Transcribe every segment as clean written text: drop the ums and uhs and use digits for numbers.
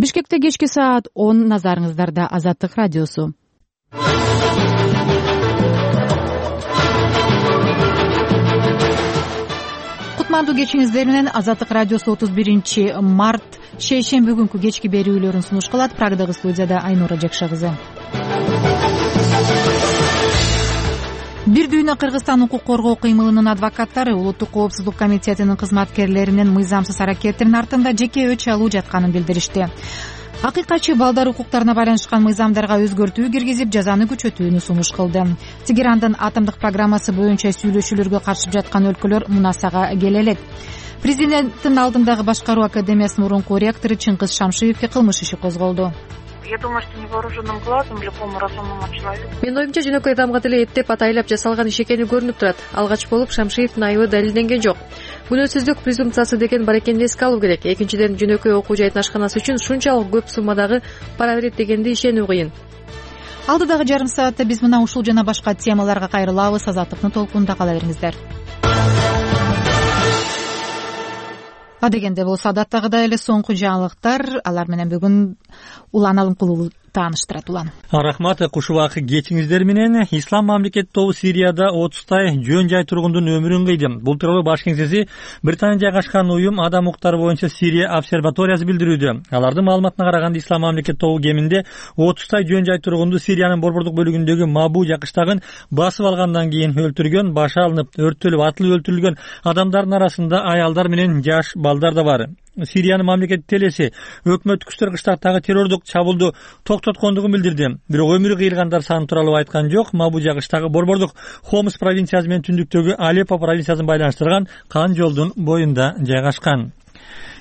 Бишкекте кечки саат 10, назарыңыздарда Азаттык радиосу. Кутмандуу кечиңиздер менен Азаттык радиосу 31-март шейшемби күнкү кечки берүүлөрүн сунуш кылат. Прагдагы студияда Айнура Жакша кызы. Бир дүйнө Кыргызстан укук коргоо кыймылынын адвокаттары Улуттук коопсуздук комитетинин кызматкерлеринин мыйзамсыз аракеттеринин артында жеке өч алуу жатканын билдиришти. Акыйкатчы балдар укуктарына байланышкан мыйзамдарга өзгөртүү киргизип, жазаны күчөтүүнү сунуш кылды. Тегерандын атомдук программасы боюнча сүйлөшүүлөргө катышып жаткан өлкөлөр мунасага келе элек. Президенттин алдындагы башкаруу академиясынын мурунку ректору Чыңгыз Шамшиевке кылмыш иши козголду. Я думаю, что невооруженным глазом любому разумному человеку. Менин оюмча жөнөкөй адамга деле эптеп атайлап жасалган иш экени көрүнүп турат. Алгач болуп Шамшиевдин айыбы далилденген жок. Күнөөсүздүк презумпциясы деген бар экенин эске алуу керек. Экинчиден, жөнөкөй окуу жайдын ашканасы үчүн шунчалык көп суммадагы пара берет дегенди ишенүү кыйын. Алдыдагы жарым саатта биз мына ушул жана башка темаларга кайрылабыз. Азаттыктын толкунунда кала бериңиздер. Адегенде болсо адаттагыдай эле соңку жаңылыктар, алар менен бүгүн Улан Алымкулуу тааныштырат. Улан. Рахмат, куш убакыт кечиңиздер менен. Ислам мамлекети тобу Сирияда 30 жөн жай тургундун өмүрүн кыйды. Бул тууралуу баш кеңсеси Британия жайгашкан уюм адам укуктары боюнча Сирия обсерваториясы билдирүүдө. Алардын маалыматына караганда Ислам мамлекети тобу кеминде 30 жөн жай тургунду Сириянын борбордук бөлүгүндөгү Мабу жакыштагын басып алгандан кийин өлтүргөн, башы алынып, өрттөлүп, атылып өлтүрүлгөн адамдардын арасында аялдар менен жаш балдар да бар. Сириянын мамлекеттик телеси өкмөттүк күчтөр кыштактагы террордук чабуулду токтоткондугун билдирди. Бирок өмүрү кыйылгандар саны тууралуу айткан жок. Мабу жагыштагы борбордук Хомс провинциясы менен түндүктөгү Алеппо провинциясын байланыштырган кан жолдун боюнда жайгашкан.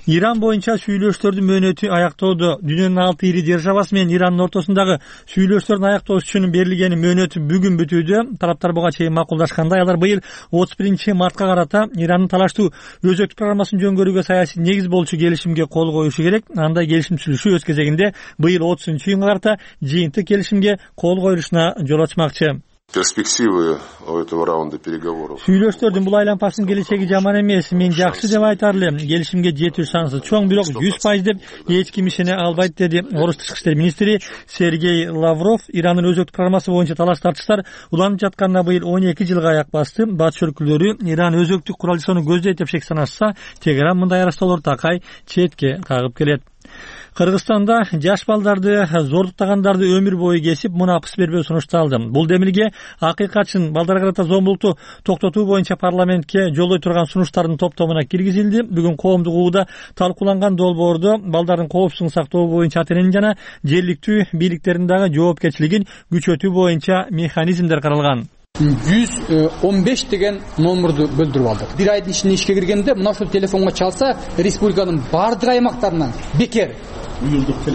Иран боюнча сүйлөшүүлөрдүн мөөнөтү аяктоодо. Дүйнөнүн 6 ири державасы менен Ирандын ортосундагы сүйлөшүүлөрдүн аяктоосу үчүн берилген мөөнөт бүгүн бүтүүдө. Тараптар буга чейин макулдашкандай, алар быйыл 31-мартка карата Ирандын талаштуу өзөктүк программасын жөнгөрүүгө саясий негиз болчу келишимге кол коюшу керек. Андай келишим түзүлүшү өз кезегинде быйыл 30-июнга карата жыйынтык келишимге кол коюлушуна жол ачмакчы. Перспективы этого раунда переговоров. Сүйлөшүүлөрдүн бул айланпасынын келечеги жаман эмес. Мен жакшы деп айтар элем. Келишимге жетүү шансы чоң, бирок 100% деп эч ким ишене албайт, деди Орус тышкы иштер министри Сергей Лавров. Ирандын өзөктүк программасы боюнча талаш-тартыштар уланып жатканына быйыл 12 жылга аяк басты. Батыш өлкөлөрү Иран өзөктүк курал жасоону көздөйт деп шек санашса, Тегеран мындай арастоолорду такай четке кагып келет. Кыргызстанда жаш балдарды зордуктагандарды өмүр бою кесип, мунапыс бербөө сунушталды. Бул демилге акыйкатчын балдарга карата зомбулукту токтотуу боюнча парламентке жолдой турган сунуштардын топтомуна киргизилди. Бүгүн коомдук угууда талкууланган долбоордо балдардын коопсуздугун сактоо боюнча ата-эненин жана жергиликтүү бийликтердин дагы жоопкерчилигин күчөтүү боюнча механизмдер каралган. 115 деген номерду бөлдүрүп алдык. Бир айдын ичинде ишке киргенде мына ушул телефонго чалса, республиканын бардык аймактарынан бекер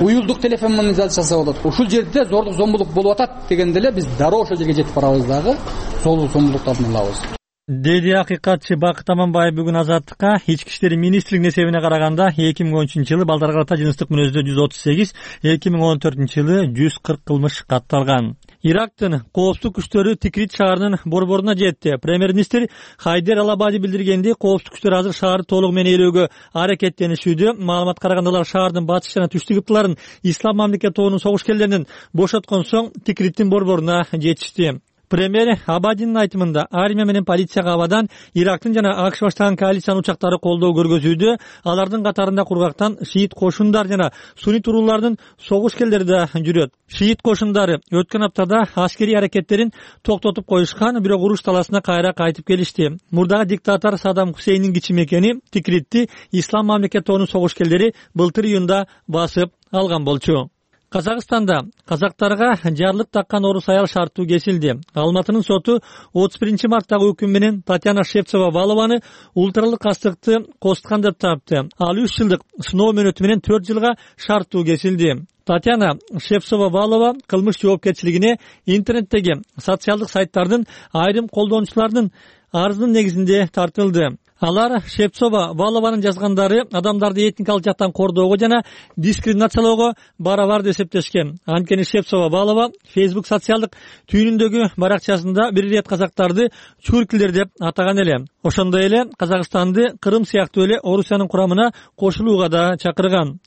уюлдук телефонизация жасап болот. Ушул жерде зордук зомбулук болуп атат дегенде эле биз дароо ошол жерге жетип барабыз дагы зомбулуктардын алабыз. Деди акыйкатчы Бакыт Аманбаев бүгүн Азаттыкка. Ички иштер министрлигинин эсебине караганда 2013-жылы балдарга карата жыныстык мүнөздө 138, 2014-жылы 140 кылмыш катталган. Ирактын коопсуздук күчтөрү Тикрит шаарынын борборуна жетти. Премьер-министр Хайдер Алабади билдиргенди, коопсуздук күчтөр азыр шаарды толугу менен ээлөөгө аракеттенишүүдө. Маалымат караганда алар шаардын батыш жана түштүк ыптыларын Ислам мамлекети тобунун согушкерлеринен бошоткон соң Тикриттин борборуна жетишти. Премьер Абадинин айтымында армия менен полицияга абадан Ирактын жана АКШ баштаган коалициянын учактары колдоо көргөзүүдө. Алардын катарында кургактан шиит кошундар жана суннит уруулардын согушкерлери да жүрөт. Шиит кошундары өткөн аптада аскерий аракеттерин токтотуп коюшкан, бирок уруш таласына кайра кайтып келишти. Мурдагы диктатор Саддам Хусейндин кичи мекени Тикритти Ислам мамлекети тобунун согушкерлери былтыр июнда басып алган болчу. Казакстанда казактарга жарлык таккан орус аял шарттуу кесилди. Алматынын соту 31-марттагы өкүм менен Татьяна Шевцова-Валованы ультралык кастыкты косткан деп тапты. Ал 3 жылдык сыноо мөөнөтү менен 4 жылга шарттуу кесилди. Татьяна Шевцова-Валова кылмыш жоопкерчилигине интернеттеги социалдык сайттардын айрым колдонуучулардын арызынын негизинде тартылды. Алар Шевцова-Валованын жазгандары адамдарды этникалык жактан кордоого жана дискриминациялоого барабар деп эсептешкен. Анткени Шевцова-Валова Facebook социалдык түйүнүндөгү баракчасында бир ирет казактарды чуркилер деп атаган эле. Ошондой эле Казакстанды Кырым сыяктуу эле Орусиянын курамына кошулууга да чакырган.